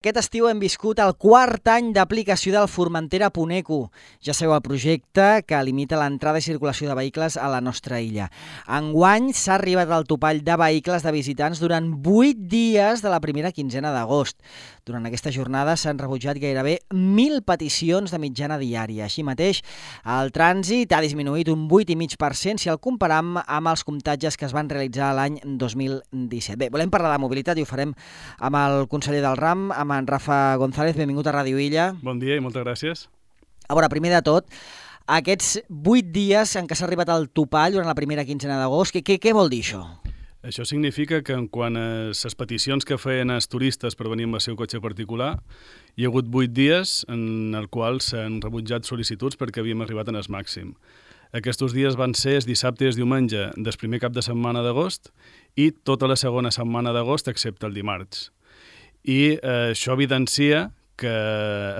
Aquest estiu hem viscut el quart any d'aplicació del Formentera.eco. Ja sabeu el projecte que limita l'entrada i circulació de vehicles a la nostra illa. Enguany s'ha arribat al topall de vehicles de visitants durant 8 dies de la primera quinzena d'agost. Durant aquesta jornada s'han rebutjat gairebé 1.000 peticions de mitjana diària. Així mateix, el trànsit ha disminuït un 8,5% si el comparam amb els comptatges que es van realitzar l'any 2017. Bé, volem parlar de mobilitat i ho farem amb el conseller del RAM, amb en Rafa González. Benvingut a Ràdio Illa. Bon dia i moltes gràcies. A veure, primer de tot, aquests 8 dies en què s'ha arribat al topall durant la primera quinzena d'agost, què vol dir això? Això significa que quant a les peticions que feien els turistes per venir amb el seu cotxe particular, hi ha hagut 8 dies en els quals s'han rebutjat sol·licituds perquè havíem arribat en el màxim. Aquests dies van ser el dissabte i el diumenge del primer cap de setmana d'agost i tota la segona setmana d'agost excepte el dimarts. I això evidencia que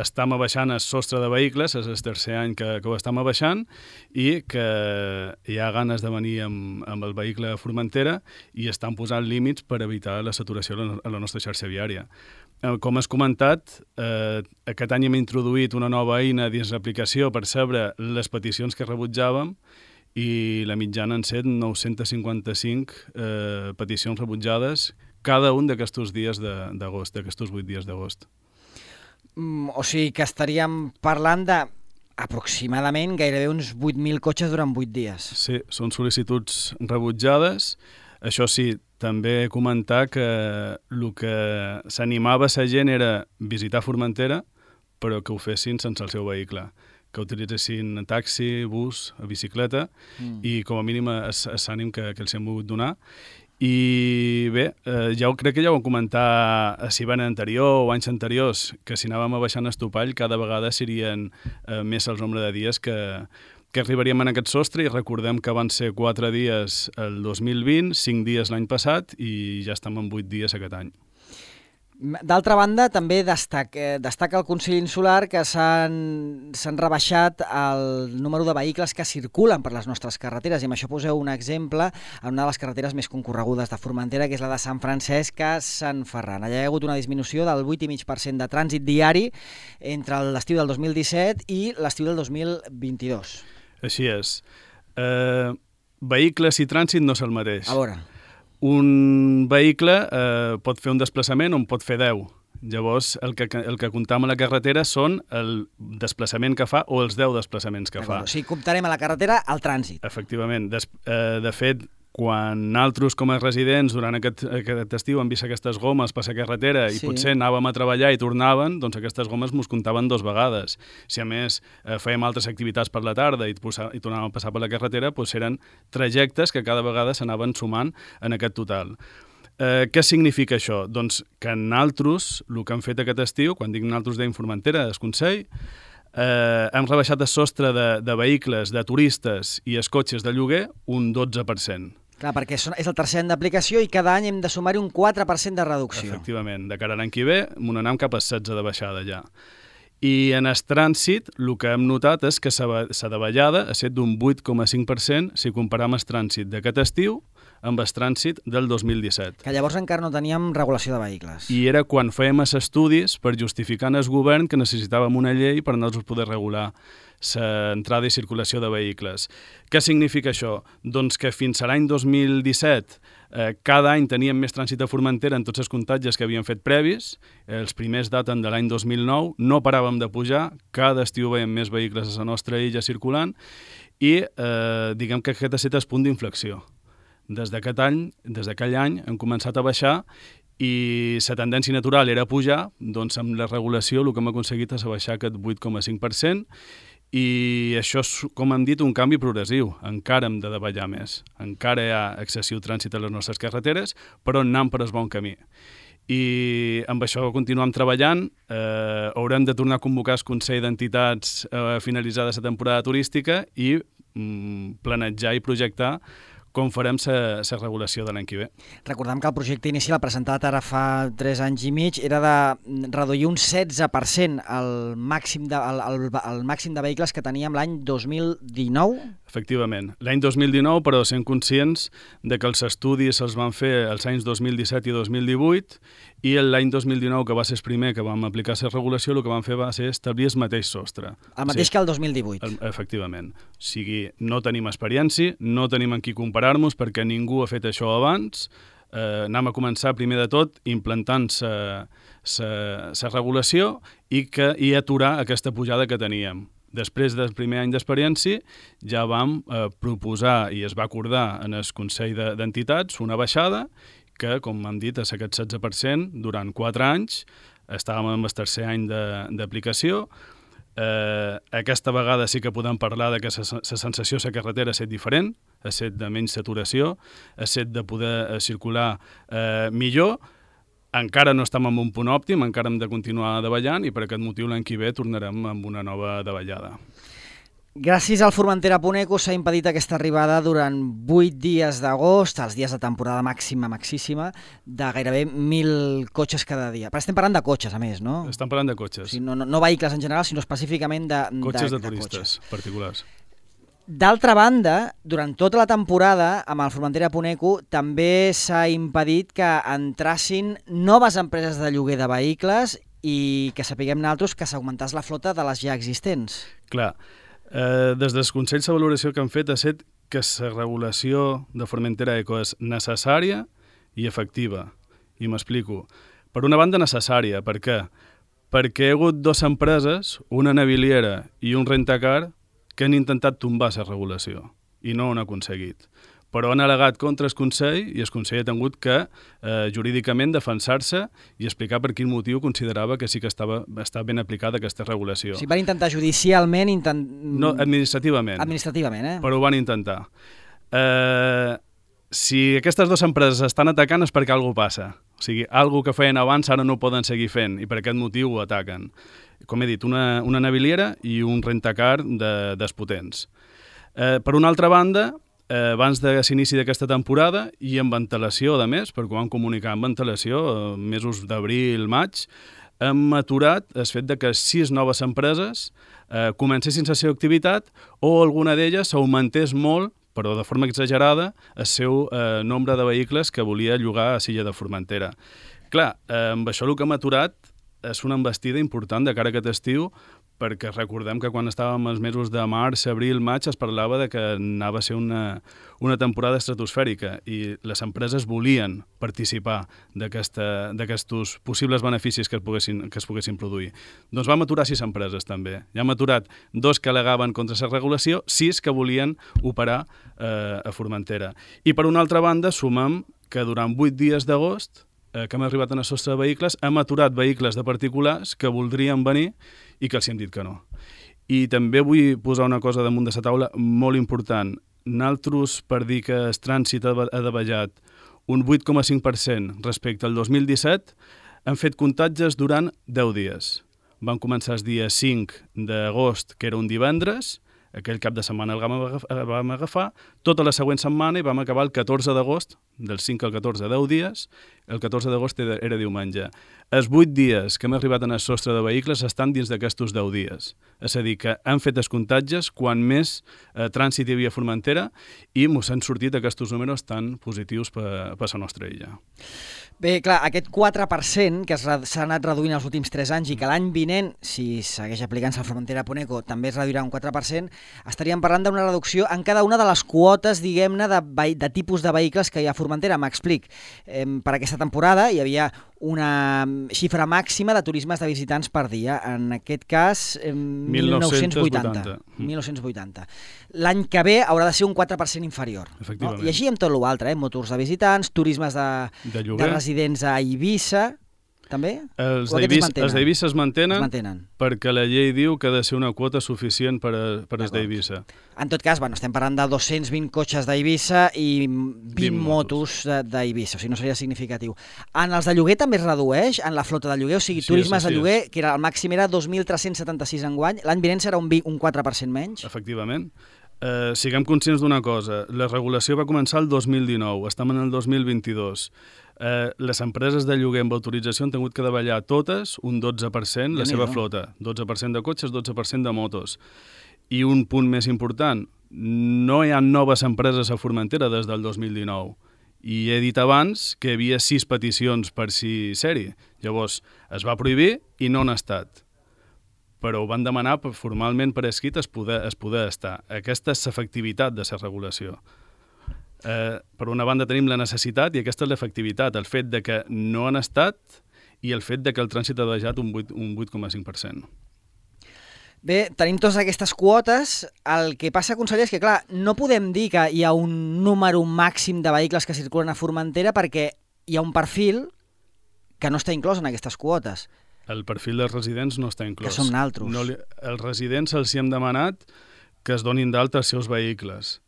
estem abaixant el sostre de vehicles, és el tercer any que ho estem abaixant, i que hi ha ganes de venir amb el vehicle a Formentera i estan posant límits per evitar la saturació a la nostra xarxa viària. Com has comentat, aquest any hem introduït una nova eina dins l'aplicació per saber les peticions que rebutjàvem i la mitjana han set 955 peticions rebutjades cada un d'aquests dies d'agost, d'aquests 8 dies d'agost. O sigui que estaríem parlant d'aproximadament gairebé uns 8.000 cotxes durant 8 dies. Sí, són sol·licituds rebutjades. Això sí, també comentar que el que s'animava a la gent era visitar Formentera, però que ho fessin sense el seu vehicle, que utilitzessin taxi, bus, bicicleta, i com a mínim l'ànim que els hem volgut donar. I bé, crec que ja ho vam comentar a l'hivern anterior o anys anteriors, que si anàvem abaixant el topall cada vegada serien més el nombre de dies que arribaríem en aquest sostre, i recordem que van ser 4 dies el 2020, 5 dies l'any passat i ja estem en 8 dies aquest any. D'altra banda, també destaca el Consell Insular que s'han rebaixat el número de vehicles que circulen per les nostres carreteres, i amb això poseu un exemple en una de les carreteres més concorregudes de Formentera, que és la de Sant Francesc a Sant Ferran. Allà hi ha hagut una disminució del 8,5% de trànsit diari entre l'estiu del 2017 i l'estiu del 2022. Així és. Vehicles i trànsit no és el mateix. A veure. Un vehicle pot fer un desplaçament on pot fer 10. Llavors, el que comptam a la carretera són el desplaçament que fa o els 10 desplaçaments que fa. O sigui, comptarem a la carretera el trànsit. Efectivament. De fet, quan nosaltres com a residents durant aquest estiu hem vist aquestes gomes per la carretera i potser anàvem a treballar i tornaven, doncs aquestes gomes mos comptaven 2 vegades. Si a més fèiem altres activitats per la tarda i tornàvem a passar per la carretera, doncs eren trajectes que cada vegada s'anaven sumant en aquest total. Què significa això? Doncs que nosaltres, el que hem fet aquest estiu, quan dic nosaltres deim Formentera, el Consell, hem rebaixat el sostre de vehicles, de turistes i els cotxes de lloguer un 12%. Clar, perquè és el tercer any d'aplicació i cada any hem de sumar-hi un 4% de reducció. Efectivament, de cara a l'any que ve, anem cap a 16 de baixada ja. I en el trànsit, el que hem notat és que la davallada ha estat d'un 8,5% si comparam el trànsit d'aquest estiu amb el trànsit del 2017. Que llavors encara no teníem regulació de vehicles. I era quan fèiem els estudis per justificar en el govern que necessitàvem una llei per nosaltres poder regular l'entrada i circulació de vehicles. Què significa això? Doncs que fins a l'any 2017 cada any teníem més trànsit a Formentera en tots els comptatges que havíem fet previs. Els primers daten de l'any 2009, no paràvem de pujar, cada estiu veiem més vehicles a la nostra illa circulant i diguem que aquest ha estat el punt d'inflexió. Des d'aquell any hem començat a baixar i la tendència natural era pujar, doncs amb la regulació el que hem aconseguit és baixar aquest 8,5%, i això és, com hem dit, un canvi progressiu. Encara hem de davallar més. Encara hi ha excessiu trànsit a les nostres carreteres, però anem per el bon camí. I amb això continuem treballant. Haurem de tornar a convocar el Consell d'Entitats finalitzada la temporada turística i planejar i projectar com farem la regulació de l'any que ve. Recordem que el projecte inicial presentat ara fa 3 anys i mig era de reduir un 16% el màxim de vehicles que teníem l'any 2019. Efectivament. L'any 2019, però, sent conscients de que els estudis se'ls van fer els anys 2017 i 2018 i l'any 2019, que va ser el primer que vam aplicar la regulació, el que vam fer va ser establir el mateix sostre. El mateix que el 2018. Efectivament. O sigui, no tenim experiència, no tenim amb qui comparar-nos perquè ningú ha fet això abans. Anem a començar, primer de tot, implantant la regulació i aturar aquesta pujada que teníem. Després del primer any d'experiència ja vam proposar i es va acordar en el Consell d'Entitats una baixada que, com hem dit, és aquest 16% durant 4 anys. Estàvem en el tercer any d'aplicació. Aquesta vegada sí que podem parlar de que la sensació a la carretera ha estat diferent, ha estat de menys saturació, ha estat de poder circular millor. Encara no estem en un punt òptim, encara hem de continuar davallant i per aquest motiu l'any que ve tornarem amb una nova davallada. Gràcies al Formentera Puneco s'ha impedit aquesta arribada durant 8 dies d'agost, els dies de temporada maxíssima, de gairebé 1.000 cotxes cada dia. Però estem parlant de cotxes, a més, no? Estem parlant de cotxes. O sigui, no vehicles en general, sinó específicament de cotxes de turistes particulars. D'altra banda, durant tota la temporada, amb el Formentera Puneco, també s'ha impedit que entrassin noves empreses de lloguer de vehicles i que sapiguem nosaltres que s'augmentàs la flota de les ja existents. Clar, des dels consells de valoració que han fet ha estat que la regulació de Formentera Eco és necessària i efectiva. I m'explico. Per una banda, necessària. Per què? Perquè hi ha hagut 2 empreses, una naviliera i un rentacar, que han intentat tombar la regulació i no ho han aconseguit. Però han al·legat contra el Consell i el Consell ha tingut que jurídicament defensar-se i explicar per quin motiu considerava que sí que estava ben aplicada aquesta regulació. Si van intentar judicialment... No, administrativament. Administrativament, Però ho van intentar. Si aquestes 2 empreses estan atacant és perquè alguna cosa passa. O sigui, alguna que feien abans ara no poden seguir fent i per aquest motiu ho ataquen. Com he dit, una naviliera i un rentacar despotents. Per una altra banda, abans de l'inici d'aquesta temporada i amb antelació, a més, perquè ho vam comunicar amb antelació, mesos d'abril, maig, hem aturat el fet de que 6 noves empreses comencessin la seva activitat o alguna d'elles augmentés molt, però de forma exagerada, el seu nombre de vehicles que volia llogar a Silla de Formentera. Clar, amb això el que hem aturat és una embestida important de cara a aquest estiu, perquè recordem que quan estàvem als mesos de març, abril, maig, es parlava de que anava a ser una temporada estratosfèrica i les empreses volien participar d'aquests possibles beneficis que es poguessin produir. Doncs vam aturar 6 empreses també. Ja hem aturat 2 que al·legaven contra la regulació, 6 que volien operar a Formentera. I per una altra banda, sumem que durant 8 dies d'agost que hem arribat en el sostre de vehicles, hem aturat vehicles de particulars que voldrien venir i que els hem dit que no. I també vull posar una cosa damunt de la taula molt important. Nosaltres, per dir que el trànsit ha davallat un 8,5% respecte al 2017, hem fet comptatges durant 10 dies. Van començar el dia 5 d'agost, que era un divendres, aquell cap de setmana el vam agafar, tota la següent setmana i vam acabar el 14 d'agost, del 5 al 14, 10 dies, el 14 d'agost era diumenge. Els 8 dies que hem arribat en el sostre de vehicles estan dins d'aquestos 10 dies. És a dir, que han fet els comptatges quan més trànsit hi havia a Formentera i mos han sortit aquests números tan positius per la nostra illa. Bé, clar, aquest 4% que s'ha anat reduint els últims 3 anys i que l'any vinent, si segueix aplicant-se al Formentera Puneco, també es reduirà un 4%, estaríem parlant d'una reducció en cada una de les quotes, diguem-ne, de tipus de vehicles que hi ha a Formentera. M'explic. Per aquesta temporada hi havia una xifra màxima de turismes de visitants per dia. En aquest cas, 1980. L'any que ve haurà de ser un 4% inferior. Efectivament. No? I així amb tot l'altre, motors de visitants, turismes de residents a Eivissa, també? Els d'Eivissa es mantenen perquè la llei diu que ha de ser una quota suficient per als d'Eivissa. En tot cas, estem parlant de 220 cotxes d'Eivissa i 20 motos d'Eivissa, o sigui, no seria significatiu. En els de lloguer també es redueix, en la flota de lloguer, o sigui, turismes de lloguer, que el màxim era 2.376 enguany, l'any vinent serà un 4% menys? Efectivament. Siguem conscients d'una cosa, la regulació va començar el 2019, estem en el 2022. Les empreses de lloguer amb autorització han tingut que davallar totes un 12% la seva flota, 12% de cotxes, 12% de motos. I un punt més important, no hi ha noves empreses a Formentera des del 2019 i he dit abans que hi havia 6 peticions per ser-hi. Llavors es va prohibir i no han estat. Però ho van demanar formalment per escrit es poder estar. Aquesta és l'efectivitat de la regulació. Per una banda tenim la necessitat i aquesta és l'efectivitat, el fet de que no han estat i el fet de que el trànsit ha baixat un 8,5%. Bé, tenim totes aquestes quotes. El que passa, conseller, és que, clar, no podem dir que hi ha un número màxim de vehicles que circulen a Formentera perquè hi ha un perfil que no està inclòs en aquestes quotes. El perfil dels residents no està inclòs. Que som naltros. Els residents els hi hem demanat que es donin d'alta els seus vehicles,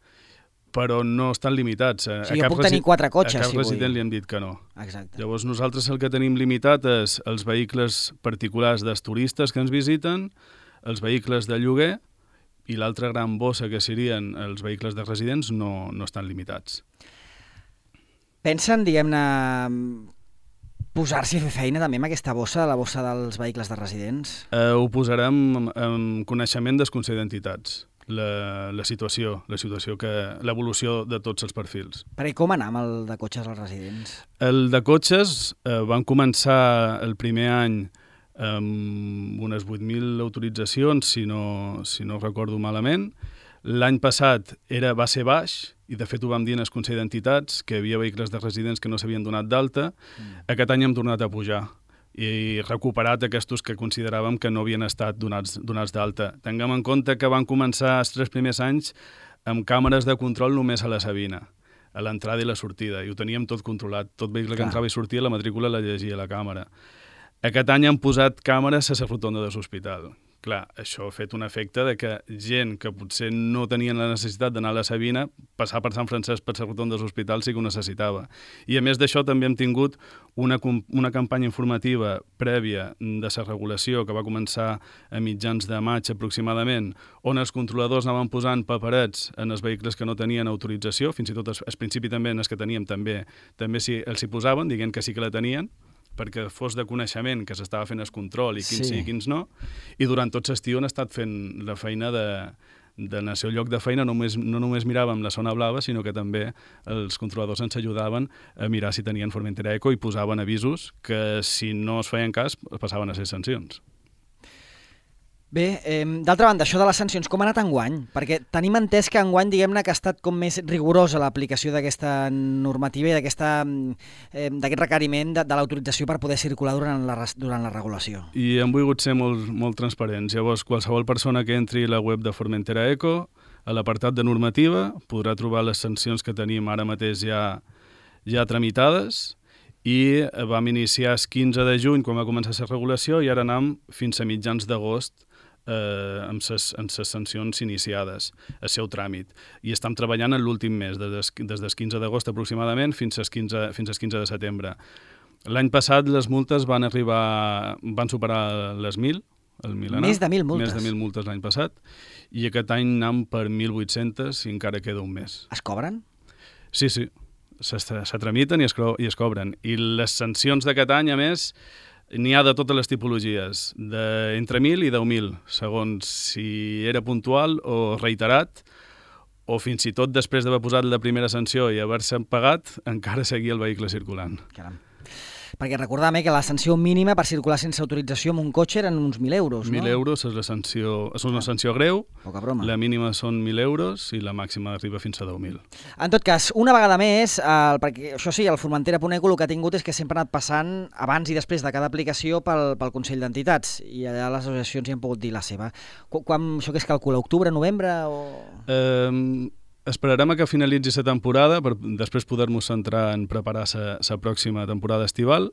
però no estan limitats. Sí, jo puc tenir 4 cotxes, a cap si vull. resident li hem dit que no. Exacte. Llavors nosaltres el que tenim limitat és els vehicles particulars dels turistes que ens visiten, els vehicles de lloguer i l'altra gran bossa que serien els vehicles de residents no estan limitats. Pensen, diguem-ne, posar-s'hi a fer feina també amb aquesta bossa, la bossa dels vehicles de residents? Ho posarem en coneixement del Consell d'Entitats, la situació, l'evolució de tots els perfils. Perquè com anar amb el de cotxes als residents? El de cotxes van començar el primer any amb unes 8.000 autoritzacions, si no recordo malament. L'any passat va ser baix, i de fet ho vam dir en el Consell d'Entitats, que hi havia vehicles de residents que no s'havien donat d'alta. Aquest any hem tornat a pujar i recuperat aquests que consideràvem que no havien estat donats d'alta. Tinguem en compte que van començar els 3 primers anys amb càmeres de control només a la Sabina, a l'entrada i la sortida, i ho teníem tot controlat. Tot vehicle que entrava i sortia, la matrícula la llegia la càmera. Aquest any han posat càmeres a la rotonda de l'hospital. Clar, això ha fet un efecte de que gent que potser no tenien la necessitat d'anar a la Sabina, passar per Sant Francesc per la rotonda de l'hospital sí que ho necessitava. I a més d'això també hem tingut una campanya informativa prèvia de la regulació que va començar a mitjans de maig aproximadament, on els controladors anaven posant paperets en els vehicles que no tenien autorització, fins i tot al principi també en els que teníem també els hi posaven, dient que sí que la tenien, perquè fos de coneixement que s'estava fent el control i quins sí i quins no, i durant tot l'estiu han estat fent la feina en el seu lloc de feina, no només miràvem la zona blava, sinó que també els controladors ens ajudaven a mirar si tenien Formentera Eco i posaven avisos que si no es feien cas passaven a ser sancions. Bé, d'altra banda, això de les sancions, com ha anat enguany? Perquè tenim entès que enguany, diguem-ne, que ha estat com més rigorosa l'aplicació d'aquesta normativa i d'aquest requeriment de l'autorització per poder circular durant la regulació. I hem volgut ser molt transparents. Llavors, qualsevol persona que entri a la web de Formentera Eco, a l'apartat de normativa, podrà trobar les sancions que tenim ara mateix ja tramitades, i vam iniciar el 15 de juny quan va començar la regulació i ara anem fins a mitjans d'agost amb les sancions iniciades, el seu tràmit. I estem treballant en l'últim mes, des del 15 d'agost aproximadament fins al 15 de setembre. L'any passat les multes van superar les 1.000, Més de 1.000 multes. Més de 1.000 multes l'any passat, i aquest any anem per 1.800 i encara queda un mes. Es cobren? Sí. Se tramiten i es cobren. I les sancions d'aquest any, a més, n'hi ha de totes les tipologies, entre 1.000 i 10.000, segons si era puntual o reiterat, o fins i tot després d'haver posat la primera sanció i haver-se pagat, encara seguia el vehicle circulant. Caram. Perquè recordàvem que la sanció mínima per circular sense autorització amb un cotxe eren uns 1.000 euros, no? 1.000 euros és una sanció greu, poca broma. La mínima són 1.000 euros i la màxima arriba fins a 10.000. En tot cas, una vegada més, perquè això sí, el Formentera Puneco el que ha tingut és que sempre ha anat passant abans i després de cada aplicació pel Consell d'Entitats, i allà les associacions hi han pogut dir la seva. Això que es calcula, octubre, novembre o...? Esperarem a que finalitzi la temporada per després poder-nos centrar en preparar la pròxima temporada estival,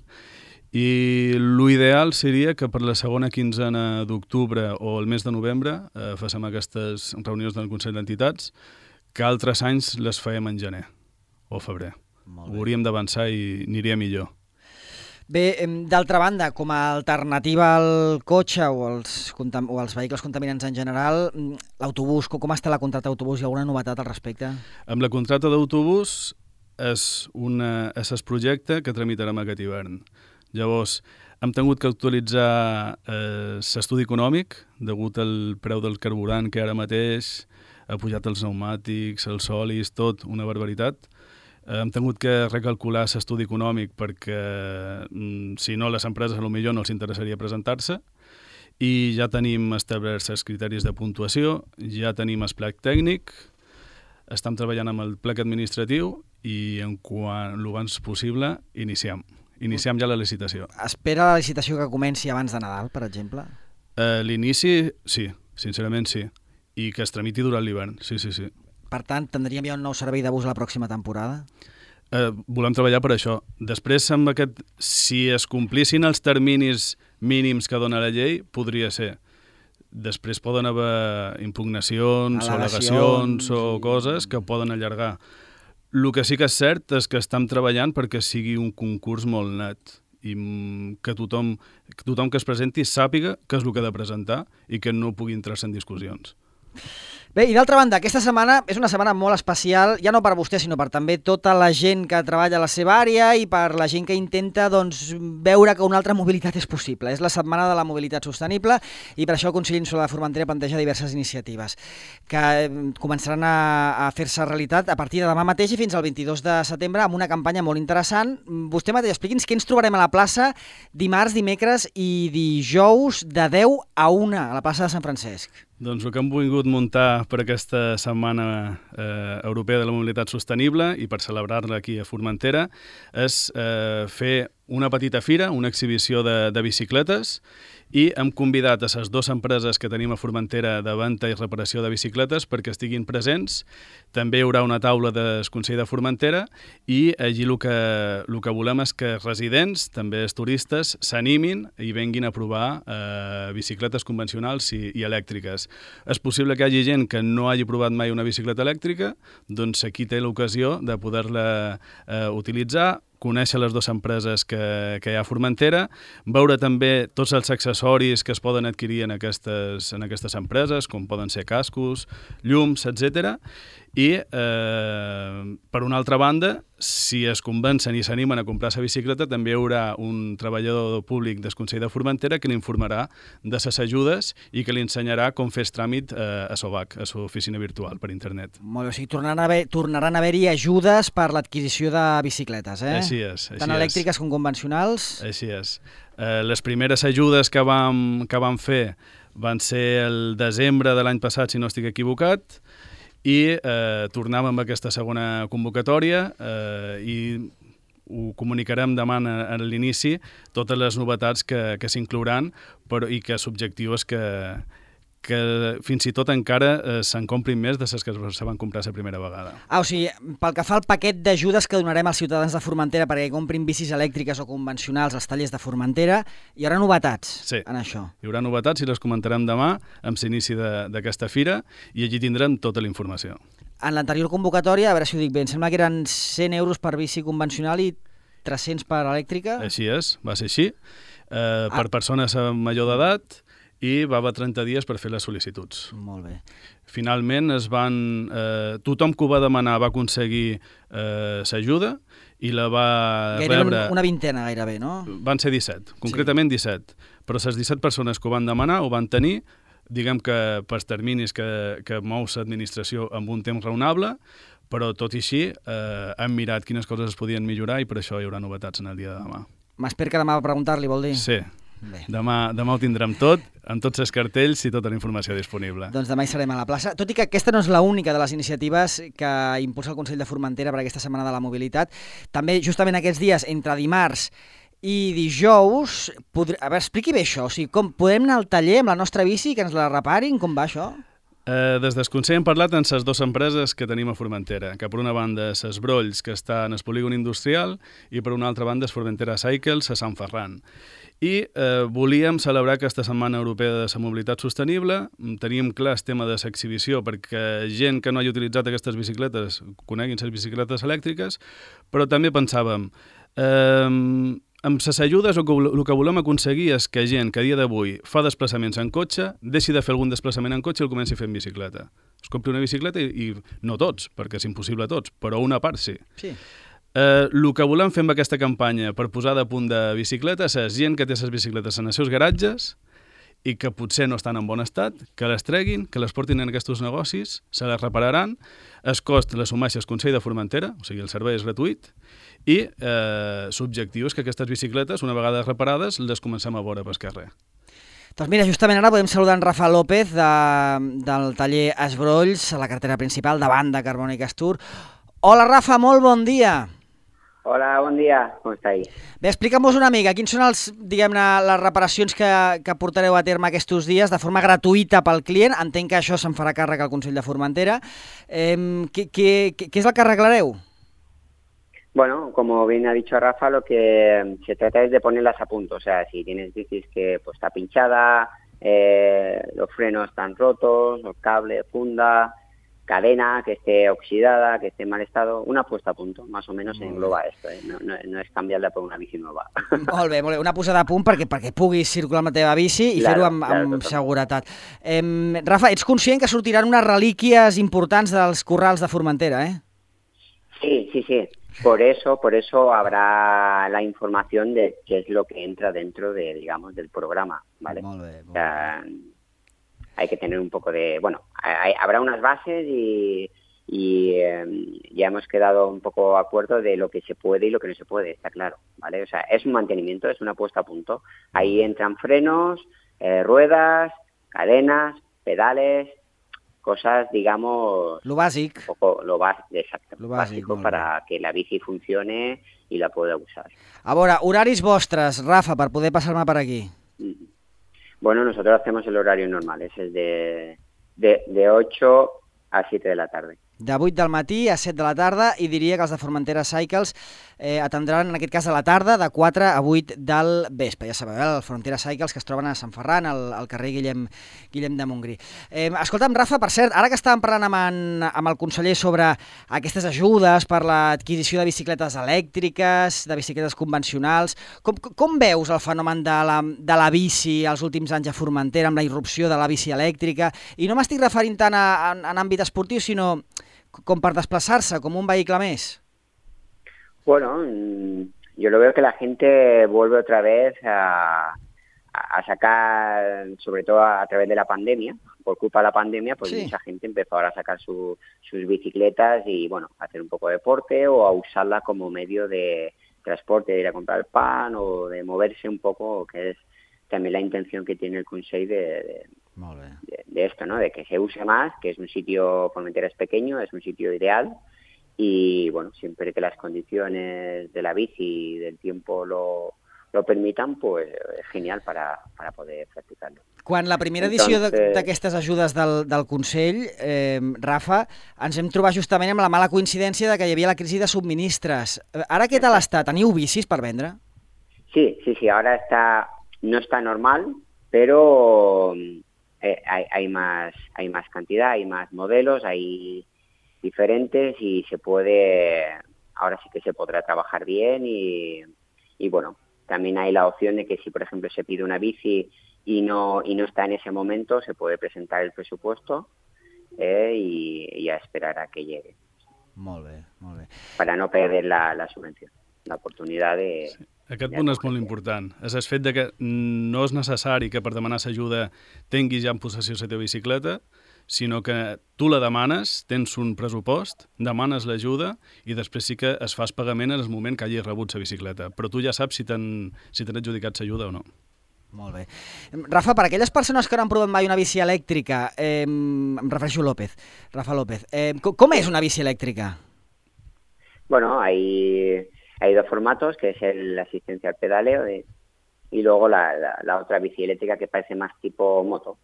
i l'ideal seria que per la segona quinzena d'octubre o el mes de novembre féssim aquestes reunions del Consell d'Entitats, que altres anys les fèiem en gener o febrer. Ho hauríem d'avançar i aniria millor. Bé, d'altra banda, com a alternativa al cotxe o als vehicles contaminants en general, l'autobús, com està la contracta d'autobús? Hi ha alguna novetat al respecte? Amb la contracta d'autobús és el projecte que tramitarem aquest hivern. Llavors, hem tingut que actualitzar l'estudi econòmic degut al preu del carburant que ara mateix ha pujat els pneumàtics, els solis, tot, una barbaritat. Hem tingut que recalcular l'estudi econòmic perquè, si no, les empreses potser no els interessaria presentar-se, i ja tenim establerts els criteris de puntuació, ja tenim el plec tècnic, estem treballant amb el plec administratiu i l'abans possible iniciem ja la licitació. Espera la licitació que comenci abans de Nadal, per exemple? L'inici, sí, sincerament sí, i que es tramiti durant l'hivern, sí. Per tant, tindríem ja un nou servei de bus la pròxima temporada? Volem treballar per això. Després, si es complissin els terminis mínims que dona la llei, podria ser. Després poden haver impugnacions o al·legacions o coses que poden allargar. El que sí que és cert és que estem treballant perquè sigui un concurs molt net i que tothom que es presenti sàpiga què és el que ha de presentar i que no pugui entrar-se en discussions. Bé, i d'altra banda, aquesta setmana és una setmana molt especial, ja no per vostè, sinó per també tota la gent que treballa a la seva àrea i per la gent que intenta veure que una altra mobilitat és possible. És la setmana de la mobilitat sostenible i per això el Consell Insular de Formentera planteja diverses iniciatives que començaran a fer-se realitat a partir de demà mateix i fins al 22 de setembre amb una campanya molt interessant. Vostè mateix, expliqui'ns què ens trobarem a la plaça dimarts, dimecres i dijous de 10 a 1 a la plaça de Sant Francesc. Doncs el que hem volgut muntar per aquesta Setmana Europea de la Mobilitat Sostenible i per celebrar-la aquí a Formentera és fer una petita fira, una exhibició de bicicletes, i hem convidat a les 2 empreses que tenim a Formentera de venda i reparació de bicicletes perquè estiguin presents. També hi haurà una taula del Consell de Formentera i allí el que volem és que residents, també els turistes, s'animin i venguin a provar bicicletes convencionals i elèctriques. És possible que hi hagi gent que no hagi provat mai una bicicleta elèctrica, doncs aquí té l'ocasió de poder-la utilitzar, conèixer les 2 empreses que hi ha a Formentera, veure també tots els accessoris que es poden adquirir en aquestes empreses, com poden ser cascos, llums, etc. I, per una altra banda, si es convencen i s'animen a comprar la bicicleta, també hi haurà un treballador públic del Consell de Formentera que l'informarà de les ajudes i que li ensenyarà com fer el tràmit a SOVAC, a l'oficina virtual per internet. Molt bé, o sigui, tornaran a haver-hi ajudes per l'adquisició de bicicletes, eh? Així és. Tant elèctriques com convencionals. Així és. Les primeres ajudes que vam fer van ser el desembre de l'any passat, si no estic equivocat, i tornàvem amb aquesta segona convocatòria i ho comunicarem demà a l'inici, totes les novetats que s'inclouran i que l'objectiu és que fins i tot encara se'n comprin més de les que se van comprar la primera vegada. O sigui, pel que fa al paquet d'ajudes que donarem als ciutadans de Formentera perquè comprin bicis elèctriques o convencionals als tallers de Formentera, hi haurà novetats en això? Sí, hi haurà novetats i les comentarem demà amb l'inici d'aquesta fira i allí tindrem tota la informació. En l'anterior convocatòria, a veure si ho dic bé, em sembla que eren 100 euros per bici convencional i 300 per elèctrica? Així és, va ser així. Per persones major d'edat, i va haver 30 dies per fer les sol·licituds. Molt bé. Finalment, tothom que ho va demanar va aconseguir l'ajuda i la va rebre... Una vintena gairebé, no? Van ser 17, concretament 17. Però les 17 persones que ho van demanar ho van tenir, diguem que per terminis que mou l'administració amb un temps raonable, però tot i així hem mirat quines coses es podien millorar i per això hi haurà novetats en el dia de demà. M'espero que demà va preguntar-li, vol dir? Sí. Bé. Demà ho tindrem tot, amb tots els cartells i tota la informació disponible. Doncs demà hi serem a la plaça. Tot i que aquesta no és l'única de les iniciatives que impulsa el Consell de Formentera per aquesta Setmana de la Mobilitat, també justament aquests dies, entre dimarts i dijous, a veure, expliqui bé això, o sigui, com podem anar al taller amb la nostra bici, que ens la reparin, com va això? Des del Consell hem parlat amb les 2 empreses que tenim a Formentera, que per una banda és Brolls, que està en el polígon industrial, i per una altra banda és Formentera Cycles, a Sant Ferran. I volíem celebrar aquesta Setmana Europea de la Mobilitat Sostenible. Teníem clar el tema de l'exhibició perquè gent que no hagi utilitzat aquestes bicicletes coneguin les bicicletes elèctriques, però també pensàvem, amb les ajudes el que volem aconseguir és que gent que a dia d'avui fa desplaçaments en cotxe deixi de fer algun desplaçament en cotxe i el comenci a fer en bicicleta. Es compri una bicicleta i no tots, perquè és impossible a tots, però una part sí. Sí. El que volem fer amb aquesta campanya per posar de punt de bicicletes és gent que té les bicicletes en els seus garatges i que potser no estan en bon estat, que les treguin, que les portin en aquests negocis, se les repararan, el cost l'assumeix el Consell de Formentera, o sigui, el servei és gratuït, i l'objectiu és que aquestes bicicletes, una vegada reparades, les comencem a veure pel carrer. Doncs mira, justament ara podem saludar en Rafa López del taller Esbrolls, a la carretera principal, davant de Carboni Castur. Hola Rafa, molt bon dia. Hola, bon dia, com estàs? Bé, explica'm-vos una mica, quins són les reparacions que portareu a terme aquests dies de forma gratuïta pel client? Entenc que això se'n farà càrrec al Consell de Formentera. ¿Qué es el que arreglareu? Bueno, como bien ha dicho Rafa, lo que se trata es de ponerlas a punto. O sea, si tienes bicis que pues está pinchada, los frenos están rotos, el cable, funda, cadena que esté oxidada, que esté en mal estado, una puesta a punto, más o menos engloba esto. No és canviar-la per una bici nova. Molt bé, una posada a punt perquè puguis circular amb la teva bici i fer-ho amb seguretat. Rafa, ets conscient que sortiran unes relíquies importants dels corrals de Formentera, eh? Sí. Por eso habrá la información de qué es lo que entra dentro de, digamos, del programa, ¿vale? Molt bé. O sea, hay que tener un poco de... Bueno, habrá unas bases y ya hemos quedado un poco de acuerdo de lo que se puede y lo que no se puede, está claro, ¿vale? O sea, es un mantenimiento, es una puesta a punto. Ahí entran frenos, ruedas, cadenas, pedales, cosas, digamos... Lo bàsic. Exacto. Lo básico para que la bici funcione y la pueda usar. A veure, horaris vostres, Rafa, per poder passar-me per aquí. Bueno, nosotros hacemos el horario normal, es el de 8 a 7 de la tarde. De 8 del matí a 7 de la tarda, i diria que els de Formentera Cycles atendran, en aquest cas, a la tarda, de 4 a 8 del vespre. Ja sabeu, el Formentera Cycles, que es troben a Sant Ferran, al carrer Guillem de Montgrí. Escolta'm, Rafa, per cert, ara que estàvem parlant amb el conseller sobre aquestes ajudes per l'adquisició de bicicletes elèctriques, de bicicletes convencionals, com veus el fenomen de la bici els últims anys a Formentera, amb la irrupció de la bici elèctrica? I no m'estic referint tant en àmbit esportiu, sinó com per desplaçar-se, com un vehicle més. Bueno, yo lo veo que la gente vuelve otra vez a sacar, sobre todo a través de la pandemia, por culpa de la pandemia, pues sí. Mucha gente empezó ahora a sacar sus bicicletas y, bueno, a hacer un poco de deporte o a usarla como medio de transporte, de ir a comprar el pan o de moverse un poco, que es también la intención que tiene el Consell de esto, ¿no? De que se use más, que es un sitio, Formentera es pequeño, es un sitio ideal y, bueno, siempre que las condiciones de la bici y del tiempo lo permitan, pues és genial para poder practicar-lo. Quan la primera edició d'aquestes ajudes del Consell, Rafa, ens hem trobat justament amb la mala coincidència de que hi havia la crisi de subministres. Ara què tal està? Teniu bicis per vendre? Sí, ara no está normal, pero hay más cantidad, hay más modelos, hay diferentes y ahora sí que se podrá trabajar bien y bueno, también hay la opción de que si por ejemplo se pide una bici y no está en ese momento, se puede presentar el presupuesto y a esperar a que llegue. Molt bé. Para no perder la subvención, la oportunidad de... Sí. Aquest punt és molt important. És el fet de que no és necessari que per demanar l'ajuda tinguis ja en possessió la teva bicicleta, sinó que tu la demanes, tens un pressupost, demanes l'ajuda i després sí que es fas pagament en el moment que hagis rebut la bicicleta. Però tu ja saps si t'han adjudicat l'ajuda o no. Molt bé. Rafa, per aquelles persones que no han provat mai una bici elèctrica, em refereixo a Rafa López, com és una bici elèctrica? Bueno, hay dos formatos, que es la asistencia al pedaleo y luego la otra bici eléctrica que parece más tipo moto.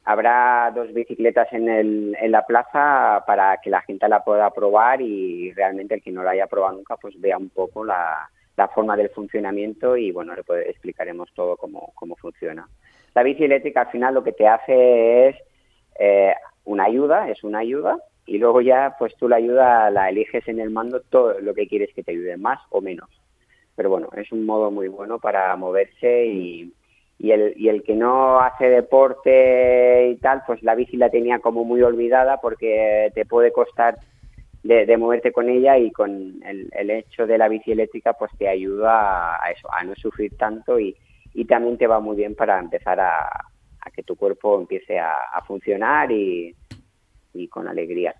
Habrá dos bicicletas en la plaza para que la gente la pueda probar y realmente el que no la haya probado nunca pues vea un poco la forma del funcionamiento y bueno, le explicaremos todo cómo funciona. La bici eléctrica al final lo que te hace es una ayuda y luego ya pues tú la ayuda la eliges en el mando todo lo que quieres que te ayude, más o menos. Pero bueno, es un modo muy bueno para moverse y el que no hace deporte y tal, pues la bici la tenía como muy olvidada porque te puede costar de moverte con ella y con el hecho de la bici eléctrica pues te ayuda a eso, a no sufrir tanto y y también te va muy bien para empezar a que tu cuerpo empiece a funcionar y con alegría.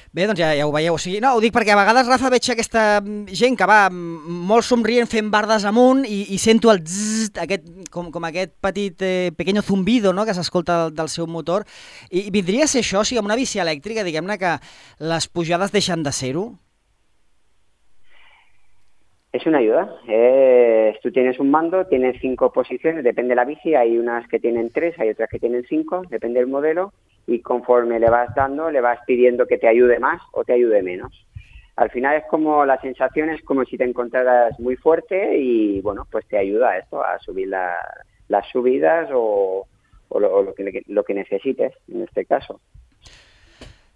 Bé, doncs ja ho veieu. O sigui, no, ho dic perquè a vegades, Rafa, veig aquesta gent que va molt somrient fent bardes amunt i sento el zzz, com aquest petit pequeño zumbido, no?, que s'escolta del seu motor. I vindria a ser això, o sigui, amb una bici elèctrica, diguem-ne que les pujades deixen de ser-ho? Es una ayuda. Tú tienes un mando, tienes 5 posiciones, depende de la bici, hay unas que tienen 3, hay otras que tienen 5, depende del modelo, y conforme le vas dando, le vas pidiendo que te ayude más o te ayude menos. Al final es como, la sensación es como si te encontraras muy fuerte y, bueno, pues te ayuda a esto, a subir las subidas o lo que necesites, en este caso.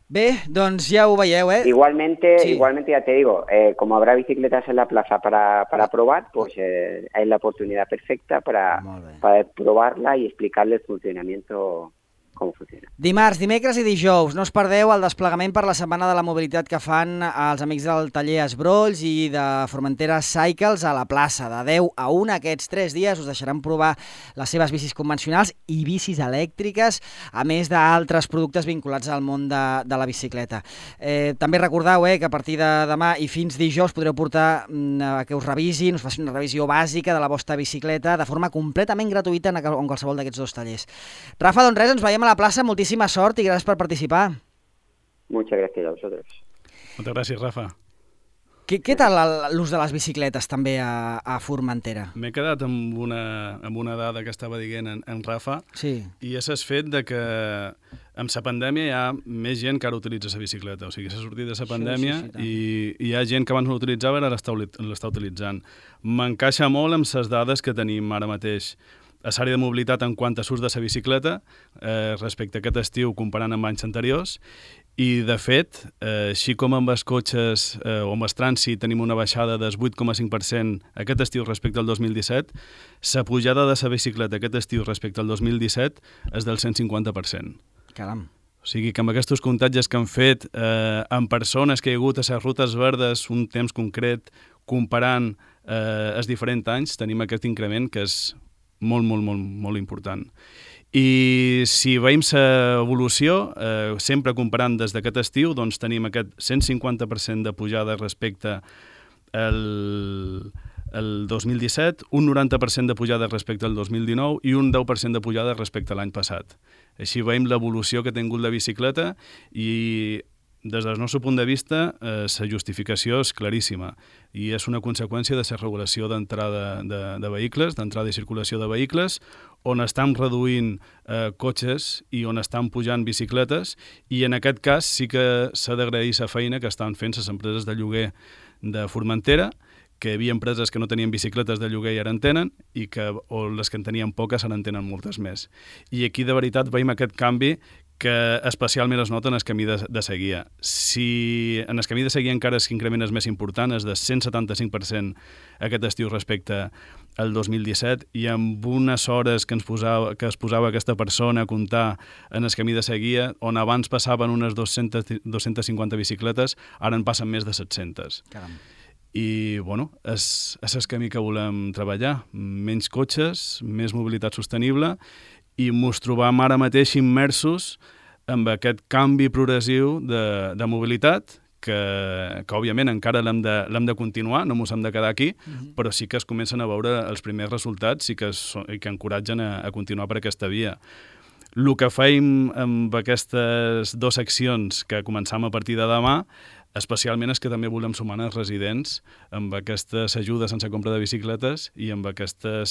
Bé, doncs ja ho veieu, Igualmente, ya te digo, como habrá bicicletas en la plaza para probar, pues es la oportunidad perfecta para probarla y explicarle el funcionamiento, com funciona. Dimarts, dimecres i dijous, no us perdeu el desplegament per la Setmana de la Mobilitat que fan els amics del taller Esbrolls i de Formentera Cycles a la plaça. De 10 a 1 aquests 3 dies us deixaran provar les seves bicis convencionals i bicis elèctriques, a més d'altres productes vinculats al món de la bicicleta. També recordeu que a partir de demà i fins dijous podreu portar que us revisin, us facin una revisió bàsica de la vostra bicicleta de forma completament gratuïta en qualsevol d'aquests 2 tallers. Rafa, doncs res, ens veiem a la plaça, moltíssima sort i gràcies per participar. Muchas gracias a vosotros. Moltes gràcies, Rafa. Què tal l'ús de les bicicletes també a Formentera? M'he quedat amb una dada que estava dient en Rafa, sí. I és el fet de que amb la pandèmia hi ha més gent que ara utilitza la bicicleta, o sigui, s'ha sortit de la pandèmia i hi ha gent que abans no l'utilitzava i ara l'està utilitzant. M'encaixa molt amb les dades que tenim ara mateix a l'àrea de mobilitat en quant a l'ús de la bicicleta respecte a aquest estiu comparant amb anys anteriors i, de fet, així com amb els cotxes o amb el trànsit tenim una baixada del 8,5% aquest estiu respecte al 2017, la pujada de la bicicleta aquest estiu respecte al 2017 és del 150%. Caram. O sigui que amb aquests comptatges que han fet amb persones que hi ha hagut a les rutes verdes un temps concret comparant els diferents anys, tenim aquest increment que és molt important. I si veiem l'evolució, sempre comparant des d'aquest estiu, doncs tenim aquest 150% de pujada respecte al 2017, un 90% de pujada respecte al 2019 i un 10% de pujada respecte a l'any passat. Així veiem l'evolució que ha tingut la bicicleta i des del nostre punt de vista, la justificació és claríssima i és una conseqüència de la regulació d'entrada de vehicles, d'entrada i circulació de vehicles, on estan reduint cotxes i on estan pujant bicicletes i en aquest cas sí que s'ha d'agrair la feina que estan fent les empreses de lloguer de Formentera, que hi havia empreses que no tenien bicicletes de lloguer i ara en tenen, o les que en tenien poques ara en tenen moltes més. I aquí de veritat veiem aquest canvi que especialment es nota en el camí de seguida. Si en el camí de seguida encara l'increment és més important, és de 175% aquest estiu respecte al 2017, i amb unes hores que es posava aquesta persona a comptar en el camí de seguida, on abans passaven unes 250 bicicletes, ara en passen més de 700. Caram. I, bueno, és el camí que volem treballar. Menys cotxes, més mobilitat sostenible, i ens trobam ara mateix immersos amb aquest canvi progressiu de mobilitat que òbviament encara l'hem de continuar, no ens hem de quedar aquí, però sí que es comencen a veure els primers resultats i que encoratgen a continuar per aquesta via. El que fem amb aquestes 2 seccions que començam a partir de demà especialment és que també volem sumar els residents amb aquestes ajudes sense compra de bicicletes i amb aquesta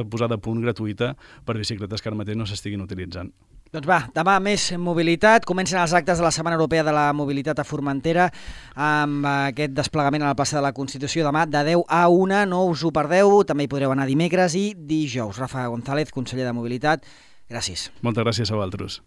posada a punt gratuïta per bicicletes que ara mateix no s'estiguin utilitzant. Doncs va, demà més mobilitat. Comencen els actes de la Setmana Europea de la Mobilitat a Formentera amb aquest desplegament a la plaça de la Constitució demà de 10 a 1. No us ho perdeu. També hi podreu anar dimecres i dijous. Rafa González, conseller de Mobilitat, gràcies. Moltes gràcies a vosaltres.